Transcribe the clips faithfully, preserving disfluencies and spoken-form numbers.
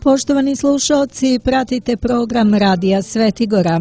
Poštovani slušalci, pratite program Radija Svetigora.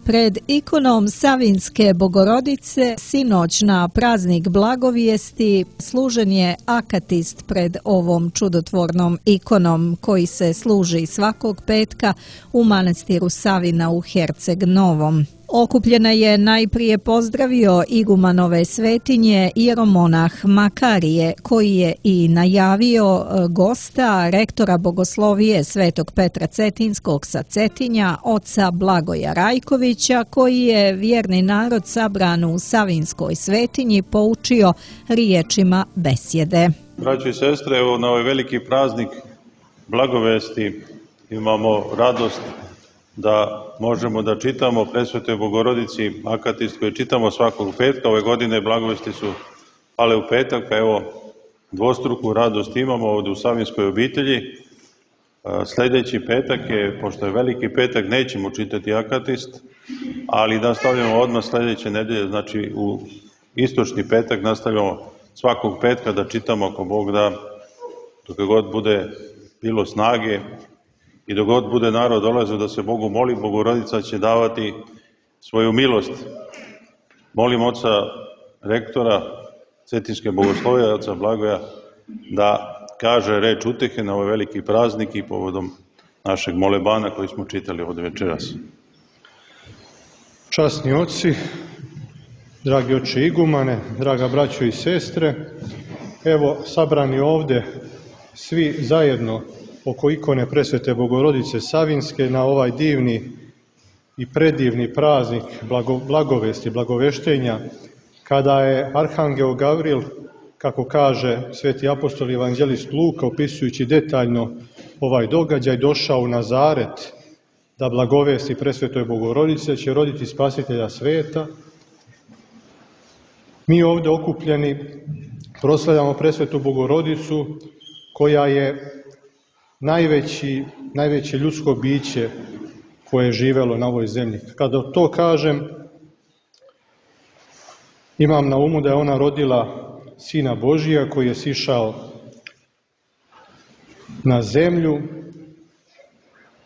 Pred ikonom Savinjske Bogorodice sinoć na praznik Blagovijesti služen je akatist pred ovom čudotvornom ikonom koji se služi svakog petka u manastiru Savina u Herceg Novom. Okupljena je najprije pozdravio igumanove svetinje jeromonah Makarije, koji je i najavio gosta rektora bogoslovije Svetog Petra Cetinskog sa Cetinja, oca Blagoja Rajkovića, koji je vjerni narod sabran u Savinjskoj svetinji poučio riječima besjede. Braćo i sestre, evo na ovaj veliki praznik Blagovesti imamo radost da možemo da čitamo Presvetoj Bogorodici akatist koji čitamo svakog petka. Ove godine Blagovesti su pale u petak, pa evo dvostruku radost imamo ovdje u Savinjskoj obitelji. Sljedeći petak je, pošto je veliki petak, nećemo čitati akatist, ali nastavljamo odmah sljedeće nedelje, znači u istočni petak nastavljamo svakog petka da čitamo, ako Bog da, dok god bude bilo snage i dok god bude narod dolazio da se Bogu moli, Bogorodica će davati svoju milost. Molim oca rektora Cetinske bogoslovije, oca Blagoja, da kaže reč utehe na ovaj veliki praznik i povodom našeg molebana koji smo čitali ovdje večeras. Časni oci, dragi oče igumane, draga braćo i sestre, evo sabrani ovdje svi zajedno oko ikone Presvete Bogorodice Savinjske na ovaj divni i predivni praznik blago, blagovesti, blagoveštenja, kada je Arhangel Gavril, kako kaže sveti apostol i evanđelist Luka, opisujući detaljno ovaj događaj, došao u Nazaret da blagovesti Presvetoj Bogorodice, će roditi spasitelja sveta. Mi ovdje okupljeni proslavljamo Presvetu Bogorodicu, koja je najveći, najveće ljudsko biće koje je živjelo na ovoj zemlji. Kada to kažem, imam na umu da je ona rodila Sina Božija koji je sišao na zemlju.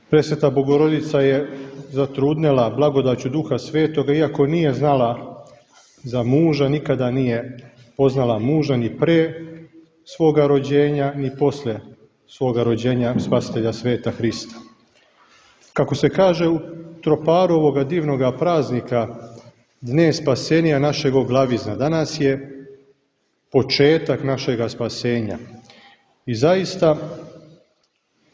Presveta Bogorodica je zatrudnela blagodaću Duha Svetoga, iako nije znala za muža, nikada nije poznala muža ni pre svoga rođenja, ni posle svoga rođenja spasitelja sveta Hrista. Kako se kaže u troparu ovoga divnoga praznika, Dne spasenja našeg oglavizna, danas je početak našega spasenja. I zaista,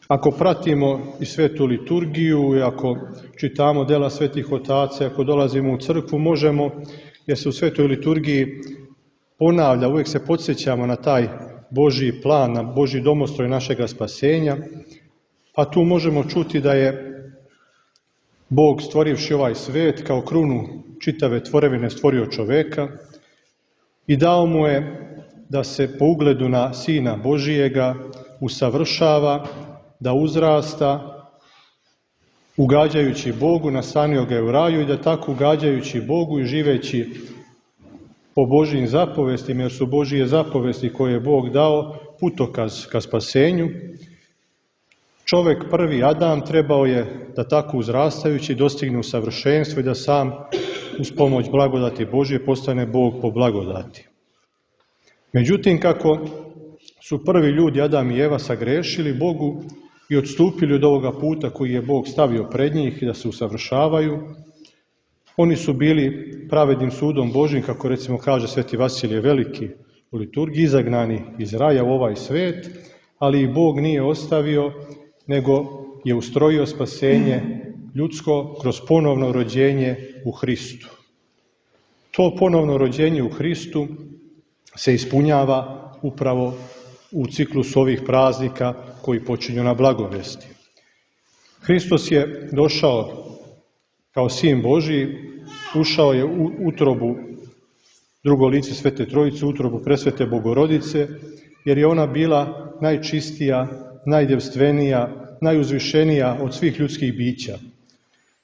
ako pratimo i svetu liturgiju, i ako čitamo dela svetih otaca, ako dolazimo u crkvu, možemo, jer se u svetoj liturgiji ponavlja, uvijek se podsjećamo na taj Božji plan, na Božji domostroj našega spasenja, a tu možemo čuti da je Bog, stvorivši ovaj svet, kao krunu čitave tvorevine stvorio čoveka i dao mu je da se po ugledu na Sina Božijega usavršava, da uzrasta, ugađajući Bogu, nastanio ga je u raju i da tako ugađajući Bogu i živeći po Božjim zapovestima, jer su Božije zapovesti koje je Bog dao putokaz ka spasenju, čovjek prvi Adam trebao je da tako uzrastajući dostigne u savršenstvo i da sam uz pomoć blagodati Božje postane Bog po blagodati. Međutim, kako su prvi ljudi Adam i Eva sagrešili Bogu i odstupili od ovoga puta koji je Bog stavio pred njih da se usavršavaju, oni su bili pravednim sudom Božjim, kako recimo kaže sveti Vasilije Veliki u liturgiji, izagnani iz raja u ovaj svet, ali i Bog nije ostavio, nego je ustrojio spasenje ljudsko kroz ponovno rođenje u Hristu. To ponovno rođenje u Hristu se ispunjava upravo u ciklusu ovih praznika koji počinju na blagovesti. Hristos je došao kao Sin Božji, ušao je u utrobu drugo lice Svete Trojice, utrobu Presvete Bogorodice, jer je ona bila najčistija, najdevstvenija, najuzvišenija od svih ljudskih bića.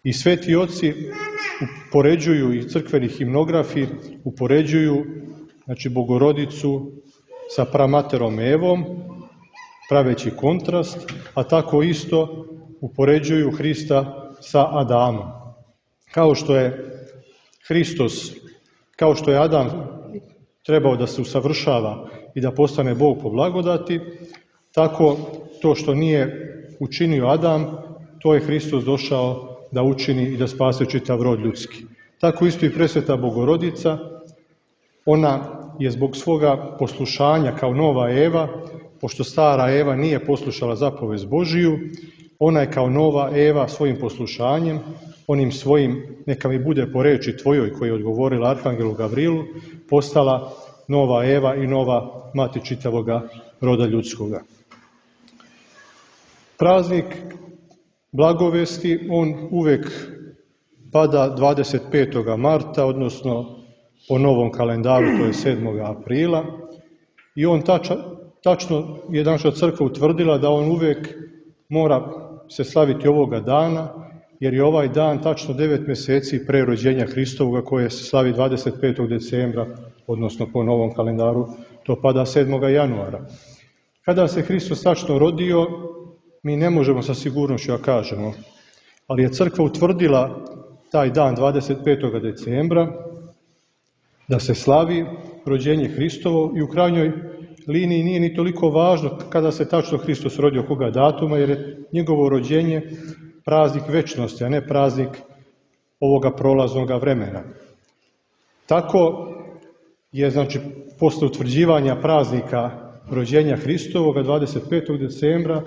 I sveti oci upoređuju, i crkveni himnografi upoređuju znači Bogorodicu sa pramaterom Evom, praveći kontrast, a tako isto upoređuju Hrista sa Adamom. Kao što je Hristos, kao što je Adam trebao da se usavršava i da postane Bog po blagodati, tako to što nije učinio Adam, to je Hristos došao da učini i da spase čitav rod ljudski. Tako isto i presveta Bogorodica, ona je zbog svoga poslušanja kao nova Eva, pošto stara Eva nije poslušala zapovest Božiju, ona je kao nova Eva svojim poslušanjem, onim svojim, neka mi bude po reči tvojoj, koji je odgovorila Arhangelu Gavrilu, postala nova Eva i nova mati čitavoga roda ljudskoga. Praznik Blagovesti, on uvek pada dvadeset petog marta, odnosno po novom kalendaru, to je sedmog aprila, i on tača, tačno je naša crkva utvrdila da on uvek mora se slaviti ovoga dana, jer je ovaj dan tačno devet mjeseci pre rođenja Hristovoga, koje se slavi dvadeset petog decembra, odnosno po novom kalendaru, to pada sedmog januara. Kada se Hristos tačno rodio, mi ne možemo sa sigurnošću da kažemo, ali je crkva utvrdila taj dan dvadeset petog decembra da se slavi rođenje Hristovo, i u krajnjoj liniji nije ni toliko važno kada se tačno Hristos rodio, koga datuma, jer je njegovo rođenje praznik večnosti, a ne praznik ovoga prolaznoga vremena. Tako je, znači, posle utvrđivanja praznika rođenja Hristovoga dvadeset petog decembra,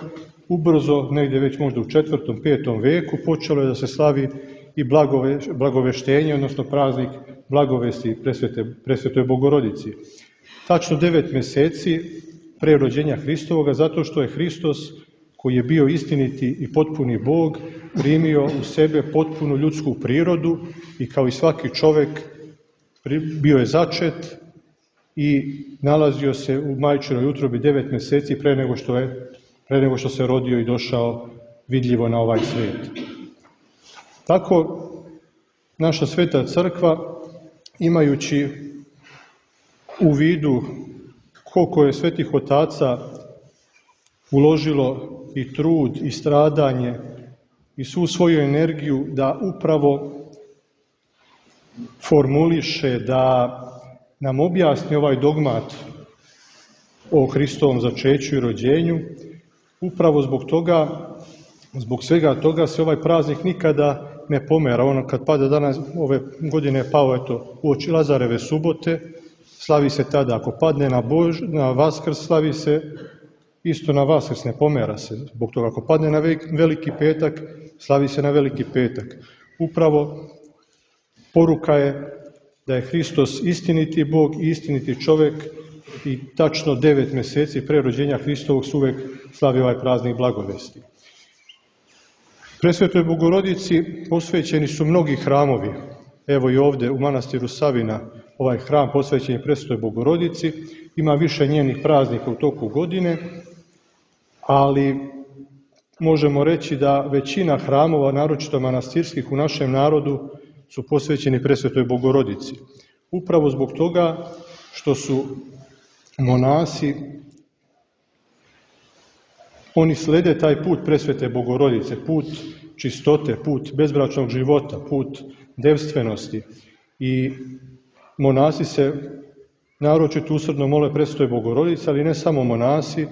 ubrzo, negdje već možda u četvrtom, petom veku, počelo je da se slavi i blagove, blagoveštenje, odnosno praznik blagovesti presvete, presvetoj Bogorodici. Tačno devet mjeseci pre rođenja Hristovoga, zato što je Hristos, koji je bio istiniti i potpuni Bog, primio u sebe potpunu ljudsku prirodu i kao i svaki čovjek bio je začet i nalazio se u majčinoj utrobi devet mjeseci pre nego što je, pre nego što se rodio i došao vidljivo na ovaj svijet. Tako naša sveta crkva, imajući u vidu koliko je svetih otaca uložilo i trud i stradanje i svu svoju energiju da upravo formuliše, da nam objasni ovaj dogmat o Hristovom začeću i rođenju, upravo zbog toga, zbog svega toga se ovaj praznik nikada ne pomera. Ono kad pada danas, ove godine je pao eto uoči Lazareve subote, slavi se tada. Ako padne na, Bož, na Vaskrs, slavi se isto na Vaskrs, ne pomera se. Zbog toga, ako padne na Veliki petak, slavi se na Veliki petak. Upravo poruka je da je Hristos istiniti Bog i istiniti čovjek, i tačno devet mjeseci pre rođenja Hristovog se uvek slavi ovaj praznik Blagovesti. Presvetoj Bogorodici posvećeni su mnogi hramovi. Evo i ovdje u manastiru Savina ovaj hram posvećen je Presvetoj Bogorodici. Ima više njenih praznika u toku godine, ali možemo reći da većina hramova, naročito manastirskih u našem narodu, su posvećeni Presvetoj Bogorodici. Upravo zbog toga što su monasi, oni slede taj put Presvete Bogorodice, put čistote, put bezbračnog života, put devstvenosti. I monasi se naročito usrdno mole Presvetoj Bogorodici, ali ne samo monasi,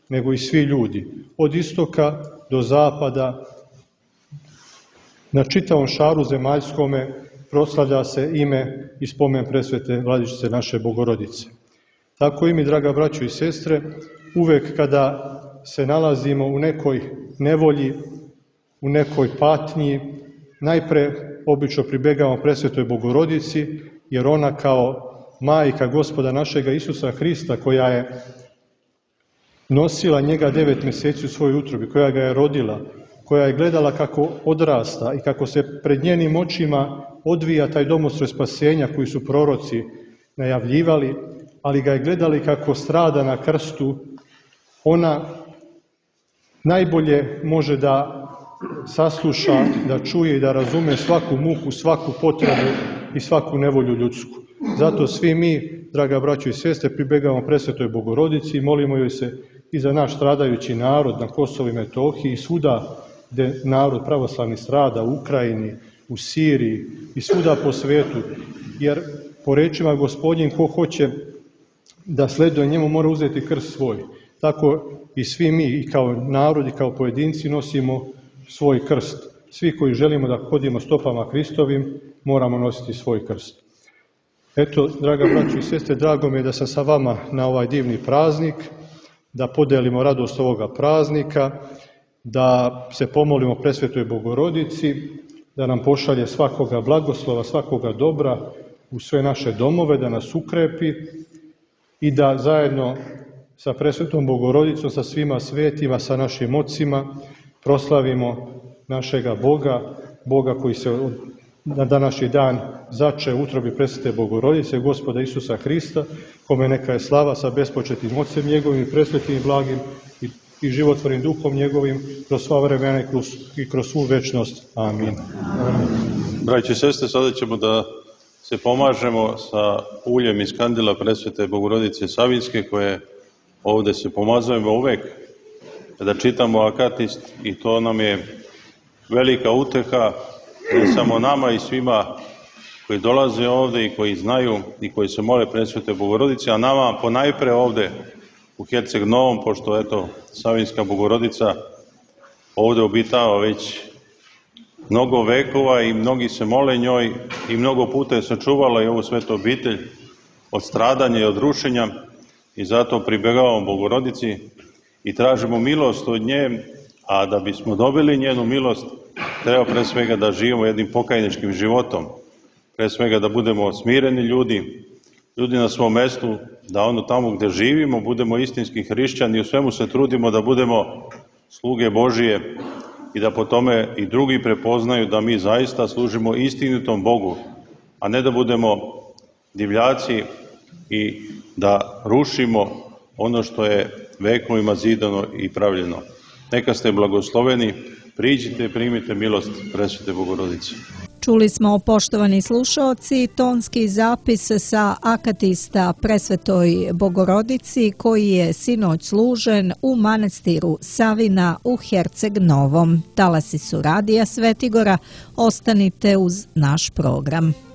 nego i svi ljudi. Od istoka do zapada, na čitavom šaru zemaljskome proslavlja se ime i spomen Presvete Vladičice naše Bogorodice. Tako i mi, draga braćo i sestre, uvek kada se nalazimo u nekoj nevolji, u nekoj patnji, najpre obično pribegavamo Presvetoj Bogorodici, jer ona kao majka Gospoda našega Isusa Hrista, koja je nosila njega devet mjeseci u svojoj utrobi, koja ga je rodila, koja je gledala kako odrasta i kako se pred njenim očima odvija taj domostroj spasenja koji su proroci najavljivali, ali ga je gledali kako strada na krstu, ona najbolje može da sasluša, da čuje i da razume svaku muku, svaku potrebu i svaku nevolju ljudsku. Zato svi mi draga braćo i sestre, pribegavamo Presvetoj Bogorodici i molimo joj se i za naš stradajući narod na Kosovu i Metohiji i svuda gde narod pravoslavni strada, u Ukrajini, u Siriji i svuda po svetu. Jer po rečima Gospodnjim, ko hoće da sleduje njemu mora uzeti krst svoj. Tako i svi mi i kao narod i kao pojedinci nosimo svoj krst. Svi koji želimo da hodimo stopama Hristovim moramo nositi svoj krst. Eto, draga braćo i sestre, drago mi je da sam sa vama na ovaj divni praznik, da podelimo radost ovoga praznika, da se pomolimo Presvetoj Bogorodici, da nam pošalje svakoga blagoslova, svakoga dobra u sve naše domove, da nas ukrepi i da zajedno sa Presvetom Bogorodicom, sa svima svetima, sa našim ocima proslavimo našega Boga, Boga koji se na današnji dan zače u utrobi Presvete Bogorodice, Gospoda Isusa Hrista, kome neka je slava sa bespočetnim Ocem njegovim i presvetim i blagim i, i životvornim Duhom njegovim kroz sva vremena i kroz, i kroz svu večnost. Amin. Braće i sestre, sada ćemo da se pomažemo sa uljem iz kandila Presvete Bogorodice Savinske, koje ovde se pomazujemo uvek kada čitamo akatist, i to nam je velika uteha ne samo nama i svima koji dolaze ovde i koji znaju i koji se mole Presvete Bogorodice, a nama ponajpre ovde u Herceg Novom, pošto eto Savinska Bogorodica ovde obitava već mnogo vekova i mnogi se mole njoj i mnogo puta je sačuvala i ovu svetu obitelj od stradanja i od rušenja, i zato pribegavamo Bogorodici i tražimo milost od nje, a da bismo dobili njenu milost treba pre svega da živimo jednim pokajničkim životom, pre svega da budemo smireni ljudi, ljudi na svom mestu, da ono tamo gde živimo budemo istinski hrišćani i u svemu se trudimo da budemo sluge Božije i da po tome i drugi prepoznaju da mi zaista služimo istinitom Bogu, a ne da budemo divljaci i da rušimo ono što je vekovima zidano i pravljeno. Neka ste blagosloveni, priđite i primite milost Presvete Bogorodice. Čuli smo, poštovani slušaoci, tonski zapis sa akatista Presvetoj Bogorodici koji je sinoć služen u manastiru Savina u Herceg Novom. Talasi su Radija Svetigora, ostanite uz naš program.